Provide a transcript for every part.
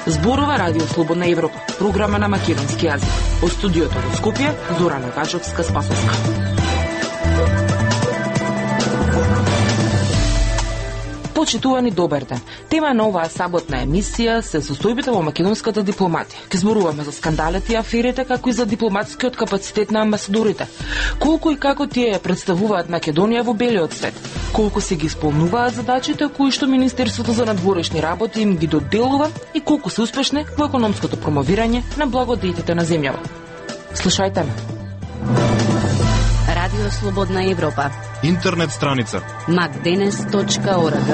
Зборува Радио Слободна Европа, програма на македонски јазик. Од студиото во Скопје, Зорана Гачовска-Спасовска. Почитувани, добар ден. Тема на оваа саботна емисија се состојбите во македонската дипломатија. Ке зборуваме за скандалите и аферите, како и за дипломатскиот капацитет на амбасадорите. Колку и како тие представуваат Македонија во белиот свет? Колку се ги исполнуваат задачите кои што Министерството за надворешни работи им ги доделува и колку се успешни во економското промовирање на благодетите на земјава. Слушајте ме. Радио Слободна Европа. Интернет страница macdenes.org.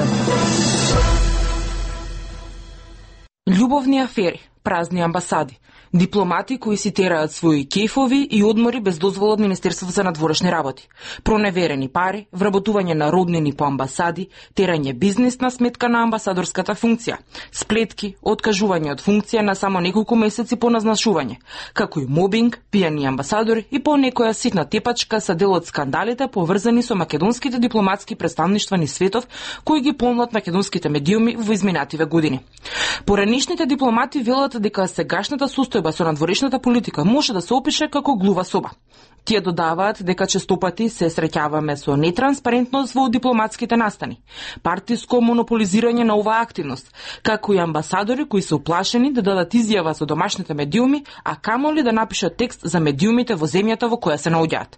Љубовни афери, празни амбасади, дипломати кои си тераат своји кефови и одмори без дозвола од Министерството за надворешни работи, проневерени пари, вработување на роднини по амбасади, терање бизнис на сметка на амбасадорската функција, сплетки, откажување од функција на само неколку месеци по назначување, како и мобинг, пијани амбасадори и по некоја ситна тепачка се дел од скандалите поврзани со македонските дипломатски претставништва низ светов кои ги полнат македонските медиуми во изминативе години. Поранишните дипломати велат дека сегашната состојба со надворешната политика може да се опише како глува соба. Тие додаваат дека честопати се среќаваме со нетранспарентност во дипломатските настани, партиско монополизирање на оваа активност, како и амбасадори кои се уплашени да дадат изјава со домашните медиуми, а камоли да напишат текст за медиумите во земјата во која се наоѓаат.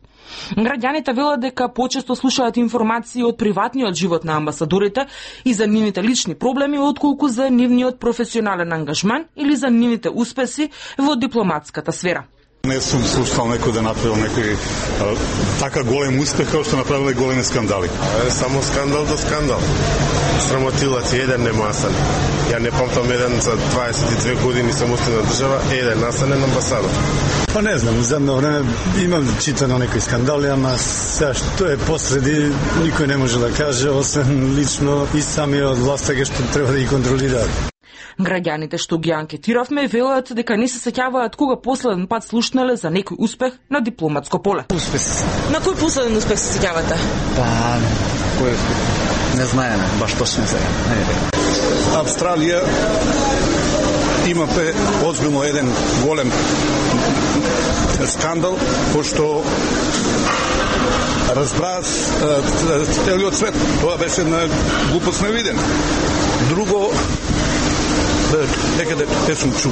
Граѓаните велат дека почесто слушаат информации од приватниот живот на амбасадорите и за нивните лични проблеми отколку за нивниот професионален ангажман или за нивните успеси во дипломатската сфера. Не сум слушал некој да направил некој така голем успех како што направиле големи скандали. Само скандал до скандал. Срамотилац еден немасан. Ја не памтам еден за 22 години самостојна држава, еден насанен амбасадор. Па не знам, за едно време имам читано некои скандали, ама сега што е посреди никој не може да каже, освен лично и самиот властта што треба да ги контролираат. Граѓаните што ги анкетиравме велат дека не се сеќаваат кога последен пат слушнале за некој успех на дипломатско поле. Успех. На кој последен успех се сеќавате? Па, кој не знаеме баш точно сега. Австралија има озбилно еден голем скандал, пошто разбраа целиот свет. Тоа беше една глупост невидена. Друго некаде те сум чул.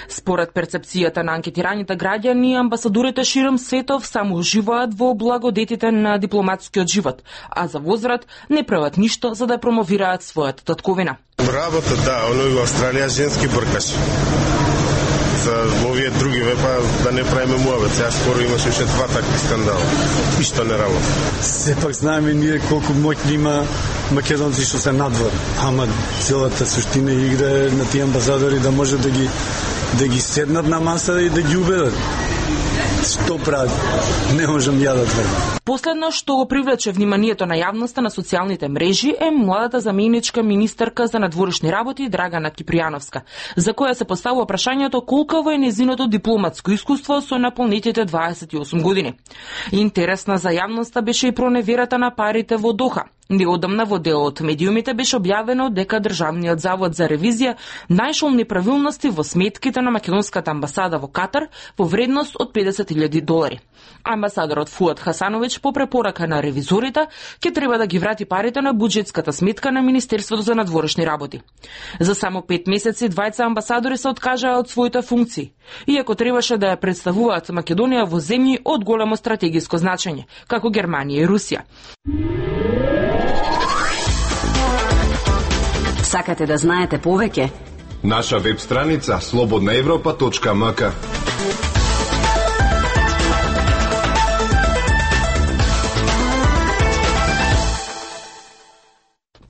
Според перцепцијата на анкетираните граѓани, амбасадорите широм светов само уживаат во благодетите на дипломатскиот живот, а за возврат не прават ништо за да промовираат својата татковина. Работа, да, оној во Австралија женски бркаш. За овие други па да не правиме муавет. Сега скоро имаше уште 2 такви скандала. И што не работа. Сепак знаеме ние колку моќни има македонци што се надвор. Ама целата суштина игра на тие амбасадори да може да ги седнат на маса и да ги убедат. Што прават? Не можам ја да тврдам. Последно што го привлече вниманието на јавноста на социјалните мрежи е младата заменичка министерка за надворешни работи Драгана Кипријановска, за која се поставува прашањето колково е нејзиното дипломатско искуство со наполнетите 28 години. Интересна за јавноста беше и проневерата на парите во Доха. Неодамна во дел од медиумите беше објавено дека Државниот завод за ревизија најшол неправилности во сметките на македонската амбасада во Катар во вредност од $50,000. Амбасадорот Фуад Хасановиќ по препорака на ревизорите ќе треба да ги врати парите на буџетската сметка на Министерството за надворешни работи. За само 5 месеци двајца амбасадори се откажаа од своите функции, иако требаше да ја представуваат Македонија во земји од големо стратегиско значење, како Германија и Русија. Сакате да знаете повеќе? Наша веб страница slobodnaevropa.mk.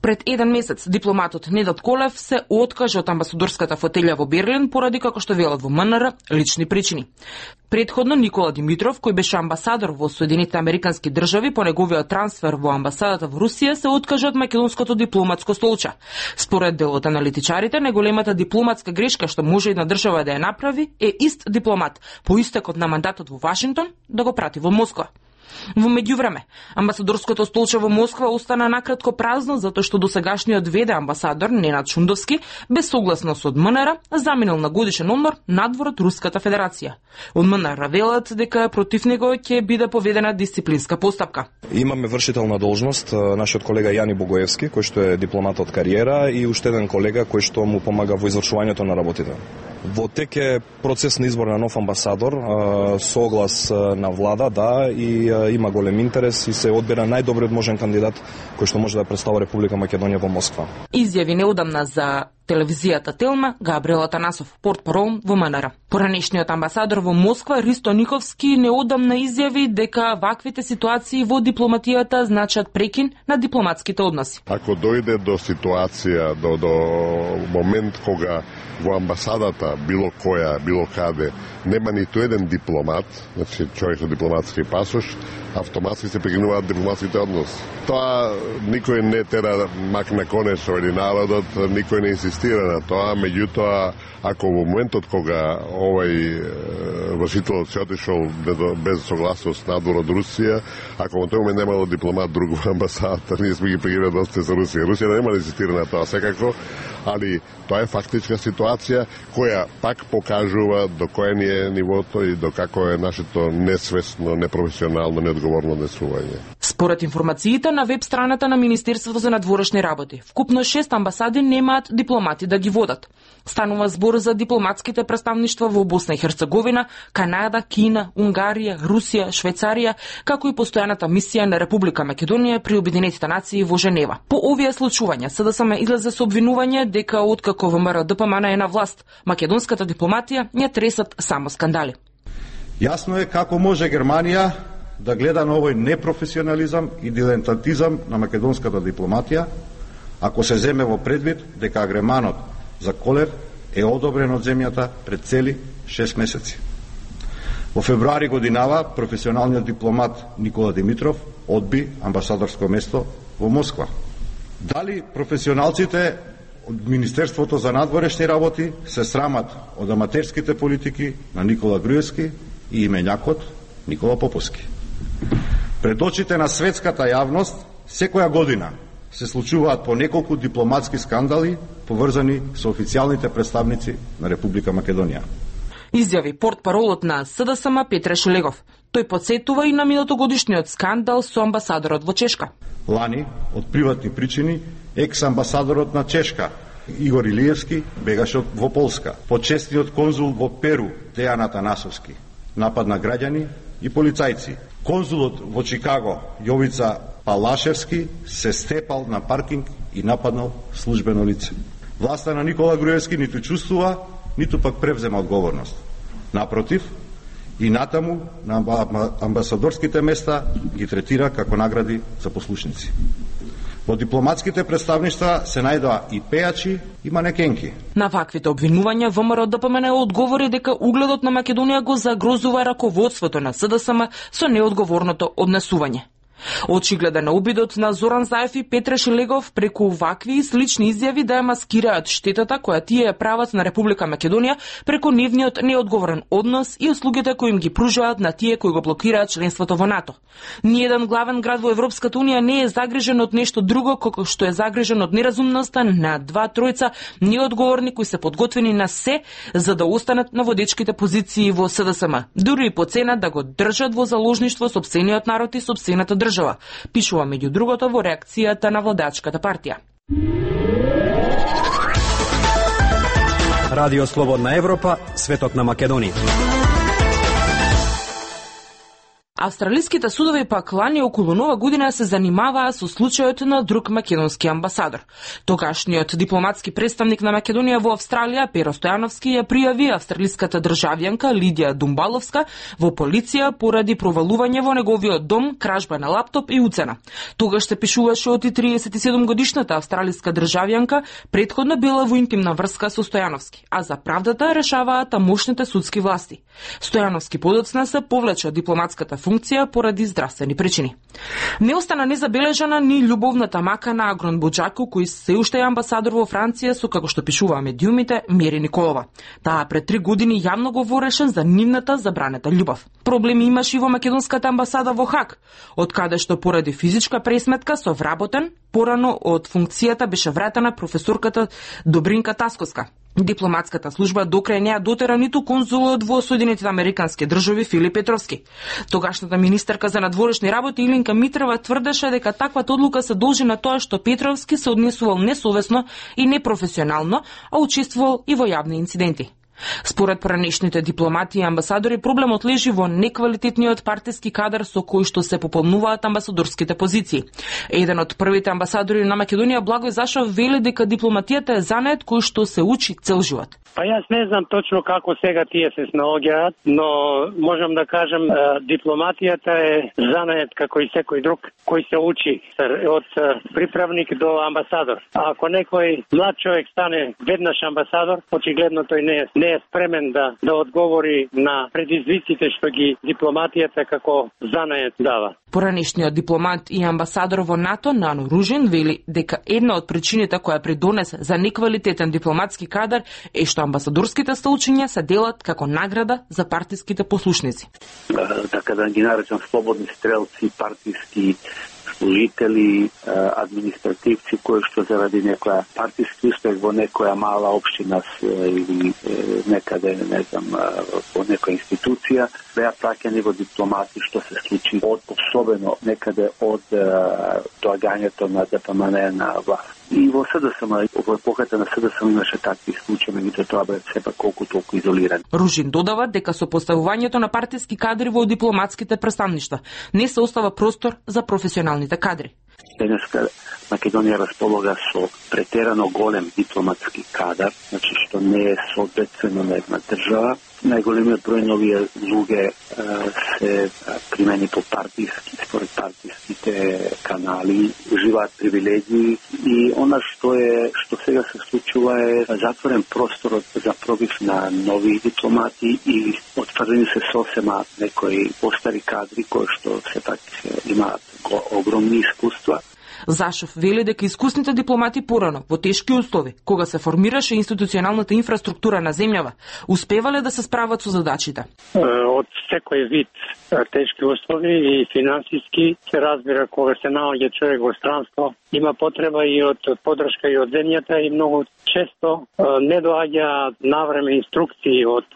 Пред еден месец дипломатот Недот Колев се откажа од амбасадорската фотелја во Берлин поради, како што велат во МНР, лични причини. Предходно Никола Димитров, кој беше амбасадор во Соединетите Американски држави по неговиот трансфер во амбасадата во Русија, се откажа од македонското дипломатско столче. Според дел од аналитичарите, најголемата дипломатска грешка што може една држава да ја направи е ист дипломат по истекот на мандатот во Вашингтон да го прати во Москва. Во меѓувреме, амбасадорското столче во Москва остана накратко празно затоа што досегашниот ВД амбасадор Ненад Шундовски, без согласност од МНР, заминал на годишен одмор надвор од Руската Федерација. Од МНР велат дека против него ќе биде поведена дисциплинска постапка. Имаме вршител на должност, нашиот колега Јани Богоевски, кој што е дипломат од кариера, и уште еден колега кој што му помага во извршувањето на работите. Во тек е процес на избор на нов амбасадор, соглас на влада, да, и има голем интерес и се одбира најдобриот можен кандидат кој што може да представи Република Македонија во Москва. Изјави неодамна за телевизијата Телма Габриел Атанасов, портпарол во МНР. Поранешниот амбасадор во Москва Ристо Никовски неодамна изјави дека ваквите ситуации во дипломатијата значат прекин на дипломатските односи. Ако дојде до ситуација, до момент кога во амбасадата, било која, било каде, нема ниту еден дипломат, значи човек со дипломатски пасош, автоматски се прекинуваат дипломатските односи. Тоа никој не тера мак на конец или народот, никој не инсистира на тоа, меѓутоа, ако во моментот кога овај вршителот се отишол без согласност надвор од Русија, ако во тој момент немало дипломат друг во амбасадата, ние сме ги прекинали односите со Русија. Русија нема да инсистира на тоа секако, али тоа е фактичка ситуација која пак покажува до кој ни е нивото и до како е нашето несвесно, непрофесионално, неодговорно однесување. Според информациите на веб страната на Министерството за надворешни работи, вкупно 6 амбасади немаат дипломати да ги водат. Станува збор за дипломатските представништва во Босна и Херцеговина, Канада, Кина, Унгарија, Русија, Швајцарија, како и постојаната мисија на Република Македонија при Обединетите нации во Женева. По овие случувања СДСМ излезе со обвинување дека откако ВМРО ДПМН е на власт, македонската дипломатија ја тресат само скандали. Јасно е како може Германија да гледа на овој непрофесионализам и дилетантизам на македонската дипломатија, ако се земе во предвид дека агреманот за Колев е одобрен од земјата пред цели 6 месеци. Во февруари годинава професионалниот дипломат Никола Димитров одби амбасадорско место во Москва. Дали професионалците од Министерството за надворешни работи се срамат од аматерските политики на Никола Груевски и имењакот Никола Поповски? Пред очите на светската јавност секоја година се случуваат по неколку дипломатски скандали поврзани со официјалните представници на Република Македонија. Изјави портпаролот на СДСМ Петре Шелегов. Тој потсетува и на минатогодишниот скандал со амбасадорот во Чешка. Лани, од приватни причини, екс-амбасадорот на Чешка Игор Илиевски бегаше во Полска. Почесниот конзул во Перу Дејан Атанасовски напад на граѓани и полицајци. Конзулот во Чикаго Јовица Палашевски се степал на паркинг и нападнал службено лице. Власта на Никола Груевски ниту чувствува, ниту пак превзема одговорност. Напротив, и натаму на амбасадорските места ги третира како награди за послушници. Во дипломатските представништва се најдоа и пејачи и манекенки. На ваквите обвинувања ВМРО ДПМН одговори дека угледот на Македонија го загрозува раководството на СДСМ со неодговорното однесување. Очигледен е обидот на Зоран Заев и Петре Шелегов преку вакви и слични изјави да ја маскираат штетата која тие ја прават на Република Македонија преку нивниот неодговорен однос и услугите кои им ги пружуваат на тие кои го блокираат членството во НАТО. Ниеден главен град во Европската Унија не е загрижен од нешто друго како што е загрижен од неразумноста на тројца неодговорни кои се подготвени на се за да останат на водечките позиции во СДСМ, дури и по цена да го држат во заложништво сопствениот народ и сопствената држава, пишува меѓу другото во реакцијата на владачката партија. Радио Слободна Европа, светот на Македонија. Австралиските судови пак лани околу нова година се занимаваа со случајот на друг македонски амбасадор. Тогашниот дипломатски представник на Македонија во Австралија, Перо Стојановски, ја пријави австралиската државјанка Лидија Думбаловска во полиција поради провалување во неговиот дом, кражба на лаптоп и уцена. Тогаш се пишуваше од 37 годишната австралиска државјанка претходно била во интимна врска со Стојановски, а за правдата решаваат тамошните судски власти. Стојановски подоцна се повлече од дипломатската функција поради здравствени причини. Не остана незабележана ни љубовната мака на Агрон Буџако, кој се уште е амбасадор во Франција со, како што пишуваа медиумите, Мери Николова. Таа пред 3 години јавно говореше за нивната забранета љубов. Проблеми имаше и во македонската амбасада во Хаг, од каде што поради физичка пресметка со вработен, порано од функцијата беше вратена професорката Добринка Тасковска. Дипломатската служба докрај не ја дотера ниту конзулот во Соединетите Американски држави Филип Петровски. Тогашната министерка за надворешни работи Илинка Митрева тврдеше дека таквата одлука се должи на тоа што Петровски се однесувал несовесно и непрофесионално, а учествувал и во јавни инциденти. Според поранешните дипломати и амбасадори, проблемот лежи во неквалитетниот партиски кадар со кој што се пополнуваат амбасадорските позиции. Еден од првите амбасадори на Македонија, Благој Зашов, вели дека дипломатијата е занет кој што се учи цел живот. Па јас не знам точно како сега тие се снаоѓаат, но можам да кажем дипломатијата е занет како и секој друг кој се учи од приправник до амбасадор. А ако некој млад човек стане веднаш амбасадор, очигледно тој не е спремен да одговори на предизвиците што ги дипломатијата како занет дава. Поранешниот дипломат и амбасадор во НАТО Нано Ружин вели дека една од причините која придонесе за неквалитетен дипломатски кадар е што амбасадорските столчиња се делат како награда за партиските послушници. Така да ги наречам слободни стрелци, партиски служители, административци кои што заради некоја партиски успех во некоја мала општина или некаде, не знам, во некоја институција, беа праќани во дипломати, што се случи особено некаде од доагањето на ДПМН на власт. И во СДСМ, во епохата на СДСМ имаше такви случаи, меѓутоа тоа бе сепак колку толку изолиран. Ружин додава дека со поставувањето на партиски кадри во дипломатските представништва не се остава простор за професионалните кадри. Денеска Македонија располага со претерано голем дипломатски кадар, значи што не е соодветствено на една држава. Најголемиот број на овие луѓе се примени по партиски, според партиските канали, уживаат привилегии и она што сега се случува е затворен просторот за пробив на нови дипломати и отфрлени се сосема некои постари кадри кои што сепак имаат огромни искуства. Зашов вели дека искусните дипломати порано, во тешки услови, кога се формираше институционалната инфраструктура на земјава, успевале да се справат со задачите. Од секој вид тешки услови и финансиски се разбира кога се наоѓа човек во странство, има потреба и од поддршка и од земјата и многу често не доаѓа навреме инструкции од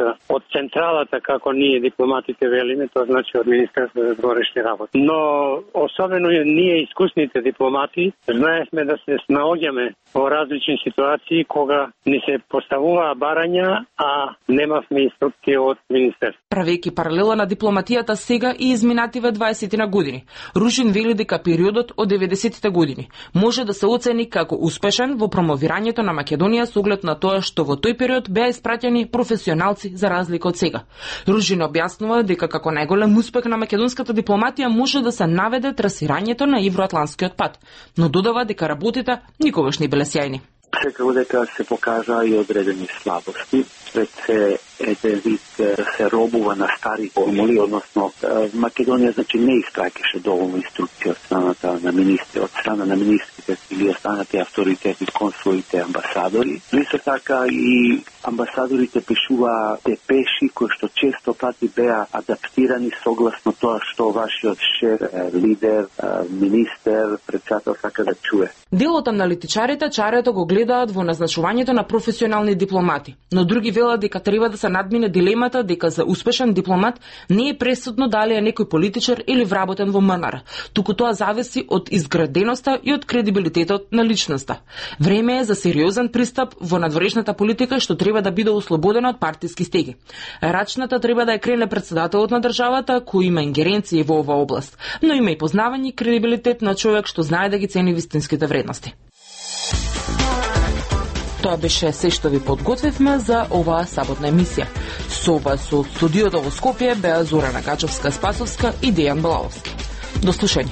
централата, како ние дипломатите велиме, тоа значи од Министерството за надворешни работи. Но особено ние искусните дипломати знаевме да се наоѓаме во различни ситуации кога ни се поставуваа барања, а немавме инструкции од Министерството. Правејќи паралела на дипломатијата сега и изминативе 20 на години, Ружин вели дека периодот од 90-тите години може да се оцени како успешен во промовирањето на Македонија со оглед на тоа што во тој период беа испраќани професионалци за разлика од сега. Ружин објаснува дека како најголем успех на македонската дипломатија може да се наведе трасирањето на Евроатлантскиот пат, но додава дека работите никогаш не биле сјајни. Секако дека се покажа и одредени слабости, пред се еден вид се робува на стари формули, односно Македонија значи не испраќаше доволно инструкции од страната на министри, од страна на министрите или останати авторитети, консулите, амбасадори. Исто така и амбасадорите пишуваа депеши кои што често пати беа адаптирани согласно тоа што вашиот шеф, лидер, министер, председател сака да чуе. Дел од аналитичарите чарето го гледаат во назначувањето на професионални дипломати, но други велат дека треба да се надмине дилемата дека за успешен дипломат не е пресудно дали е некој политичар или вработен во МНР, туку тоа зависи од изграденоста и од кредибилитетот на личноста. Време е за сериозен пристап во надворешната политика што треба да биде ослободена од партиски стеги. Рачната треба да ја крене председателот на државата кој има ингеренции во оваа област, но има и познавање и кредибилитет на човек што знае да ги цени вистинските вредности. Тоа беше се што ви подготвивме за оваа саботна емисија. Со вас од студиото во Скопје беа Зорана Гачовска-Спасовска и Дејан Балаовски. До слушање.